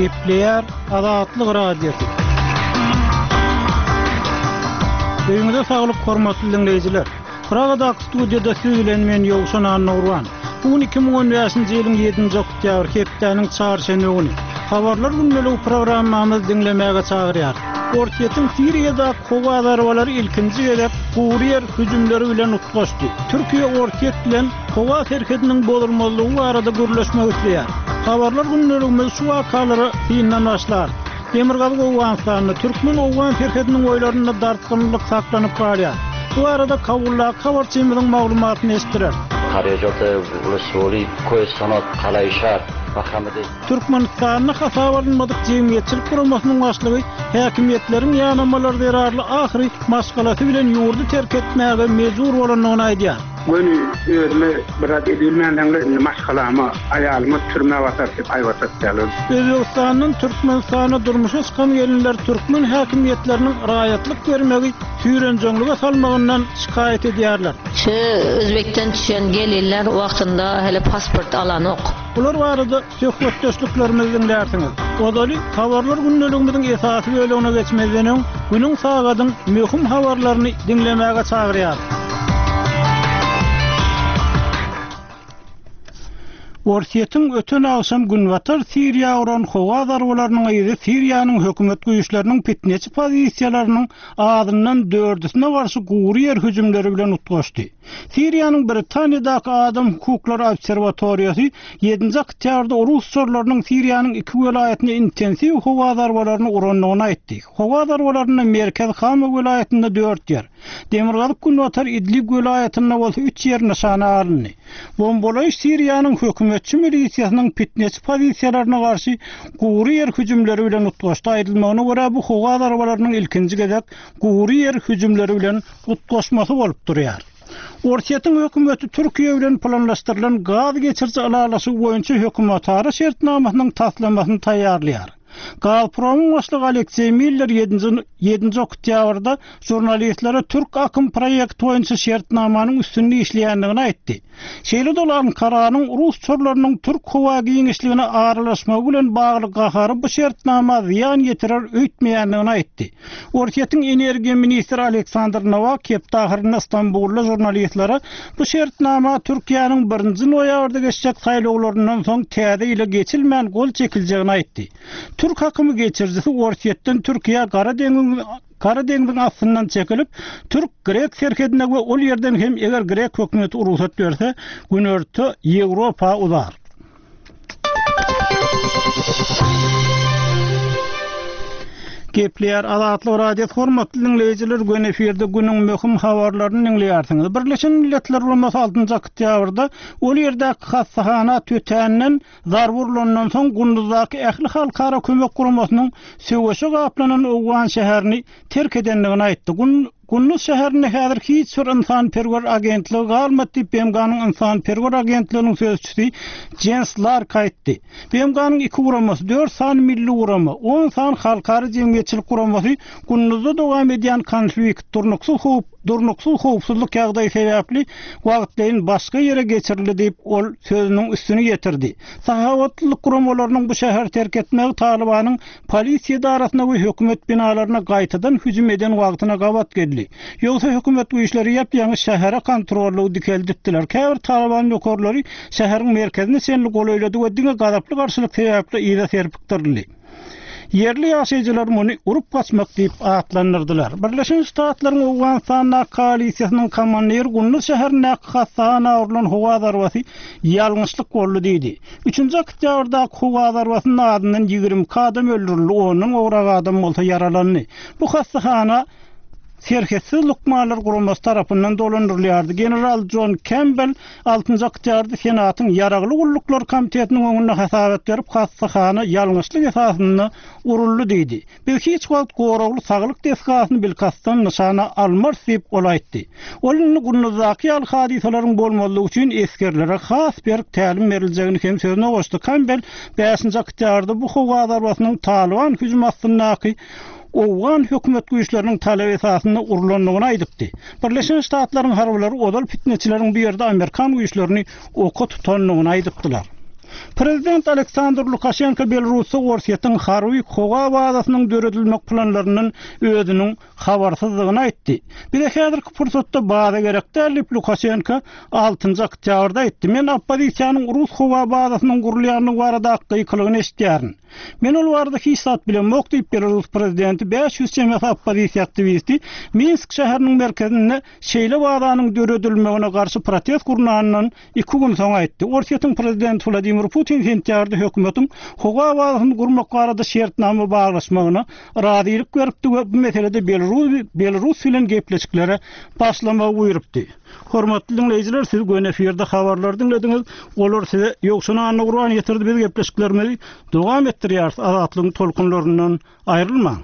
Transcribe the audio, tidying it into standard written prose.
Gepleýär Azatlyk Radiosy. Öýüňize saglyk hormatly diňleýjiler. Pragadaky studiýada siz bilen men Ýowşan Annagurban. Bu gün 2015-nji ýylyň 7-nji oktýabr, hepdäniň çarşenbe güni. Habarlar gündeligi programmamyzy diňlemäge çagyrýar. Orsýetiň Siriýadaky howa zarbalary ilkinji gezek gury ýer hüjümleri bilen utgaşdy. Türkiýe Orsýet bilen howa serhediniň bozulmazlygy barada gürleşmek isleýär. Habarlar gündeligimiz şu wakalara syndan başlar. Demirgazyk Owganystanda türkmen-owgan serhediniň boýlarynda dartgynlylyk saklanyp galýar. Bu barada Kabuldaky habarçymyzyň maglumatyny eşitdirer. Türkmenistanda hasaba alynmadyk jemgyýetçilik guramasynyň başlygy häkimiýetleriň ýanamalary zerarly ahyry maşgalasy bilen ýurdy terk etmäge mejbur bolandygyny aýdýar. Göni özüme bir zat edibilmänsoňlar indi maşgalama, aýalyma türmä basar diýip haýbat atýarlar. Özbegistandan Türkmenistana durmuşa çykan gelinler türkmen häkimiýetleriniň raýatlyk bermegi süýrenjeňlige salmagyndan şikaýat edýärler. Şu özbekden düşen gelinler wagtynda hele pasport alanok. Bular barada söhbetdeşliklerimizi diňlärsiňiz. Ozaly Habarlar gündeligimiziň esasy bölegine geçmezden öň, günüň sagadyň möhüm habarlaryny diňlemäge çagyrýarys. Orsýetiň öten agşam günbatar Siriýa uran howa zarbalarynyň yzy Siriýanyň hökümet güýçleriniň pitneçi pozisiýalarynyň azyndan dördüsine garşy gury ýer hüjümleri bilen utgaşdy. Siriýanyň Britaniýadaky Adam hukuklary obserwatoriýasy ýedinji oktýabrda rus uçarlarynyň Siriýanyň iki welaýatyna intensiw howa zarbalaryny urandygyny aýtdy. Howa zarbalarynda merkezi Hama welaýatynda dört ýer, demirgazyk-günbatar Idlib welaýatynda bolsa üç ýer nyşana alyndy. Bombalaýyş Siriýanyň hökümetçi milisiýasynyň pitneçi pozisiýalaryna garşy gury ýer hüjümleri bilen utgaşdy. Aýdylmagyna görä, bu howa zarbalarynyň ilkinji gezek gury ýer hüjümleri bilen utgaşmasy bolup durýar. Orsýetiň hökümeti Türkiýe bilen planlaşdyrylan gaz geçiriji ylalaşygy boýunça hökümetara şertnamasynyň taslamasyny taýýarlaýar. Gazpromyň başlygy Alekseý Miller ýedinji ýedinji oktýabrda žurnalistlere Türk akym proýekti boýunça şertnamanyň üstünde işleýändigini aýtdy. Şeýle-de ol Ankaranyň rus uçarlarynyň türk howa giňişligine aralaşmagy bilen bagly gahary bu şertnama zyýan ýetirer öýtmeýändigini aýtdy. Orsýetiň energiýa ministri Aleksandr Nowak hepde ahyrynda Stambulda žurnalistlere bu şertnama Türkiýäniň birinji noýabrda geçjek saýlawlaryndan soň täze ýyla geçilmän gol çekiljegini aýtdy. Türk akymy geçirijisi Orsýetden Türkiýä Gara deňiziň Gara deňziň astyndan çekilip, türk-grek serhedine we ol ýerden hem eger grek hökümeti rugsat berse, Günorta Ýewropa uzar. Gepleýär Azatlyk Radiosy hormatly diňleýjiler göni efirde günüň möhüm habarlaryny diňleýärsiňiz. Birleşen Milletler Guramasy altynjy oktýabrda ol ýerdäki hassahana tötänden Zarba urlandan soň Gunduzdaky ähli halkara kömek guramasynyň söweşe gaplanan owgan şäherini terk edendigini aýtdy. Gunduz şäherinde häzir hiç bir ynsanperwer agentligi galmady diýip, BMG-niň ynsanperwer agentliginiň sözçüsi Jens Lark aýtdy. BMG-niň iki guramasy, dört sany milli gurama, on sany halkara jemgyýetçilik guramasy Gunduzda dowam edýän konflikt, durnuksyz howp, Durnuksyz howpsuzlyk ýagdaýy sebäpli wagtlaýyn başga ýere geçirildi diýip, ol sözüniň üstüni ýetirdi. Sahawatlylyk guramalarynyň bu şäheri terk etmegi Talybanyň polisiýa edarasyna we hökümet binalaryna gaýtadan hüjüm eden wagtyna gabat geldi. Ýogsa hökümet güýçleri ýap-ýaňy şähere kontrollygy dikeldipdiler. Käbir Talyban nökerleri şäheriň merkezine çenli golaýlady we diňe gazaply garşylyk sebäpli yza serpikdirildi. Ýerli ýaşaýjylar muny urup gaçmak diýip atlandyrdylar. Birleşen Ştatlaryň Owganystandaky koalisiýasynyň komandiri Gunduz şäherindäki hassahana urlan howa zarbasy ýalňyşlyk boldy diýdi. Üçünji oktýabrdaky howa zarbasynda azyndan 22 adam öldürildi, ondan gowrak adam bolsa ýaralandy. Bu hassahana Serhetsiz lukmanlar guramasy tarapyndan dolandyrylýardy. General Jon Kempbell Altynjy oktýabrda Senatyň Ýaragly gulluklar komitetiniň öňünde hasabat berip, hassahana ýalňyşlyk esasynda uruldy diýdi. Biz hiç wagt goragly saglyk desgasyny bilkastdan nyşana almarys diýip, ol aýtdy. Ol indi Gunduzdaky ýaly hadysalaryň bolmazlygy üçin esgerlere has berk tälim beriljegini hem sözüne goşdy. Kambel bäşinji oktýabrda bu howa zarbasynyň Talyban hüjümi astyndaky owgan hökümet güýçleriniň talaby esasynda urlandygyny aýdypdy. Birleşen Ştatlaryň harbylary ozal pitneçileriň bu ýerde amerikan güýçlerini oka tutandygyny aýdypdylar. Prezident Aleksandr Lukaşenko Belarusda Orsýetiň harby howa bazasynyň döredilmek planlaryndan özüniň habarsyzdygyny aýtdy. Bize häzirki pursatda baza gerek däl diýip, Lukaşenko altynjy oktýabrda aýtdy. Men oppozisiýanyň rus howa bazasynyň gurulýandygy baradaky gykylygyny eşidýärin. Men ol barada hiç zat bilemok diýip, belarus prezidenti 500 çemesi oppozisiýa aktiwisti Minsk şäheriniň merkezinde şeýle bazanyň döredilmegine garşy protest gurnanyndan iki gün soň aýtdy. Orsýetiň prezidenti Wladimir Putin sentýabrda hökümetiň howa bazasyny gurmak barada şertnama baglaşmagyna razylyk beripdi we bu meselede Belarus bilen gepleşiklere başlamagy buýrupdy. Hormatly diňleýjiler, siz göni efirde habarlary diňlediňiz. Olary size Ýowşan Annagurban ýetirdi. Biz gepleşiklerimizi dowam etdirýäris. Azatlygyň tolkunlaryndan aýrylmaň.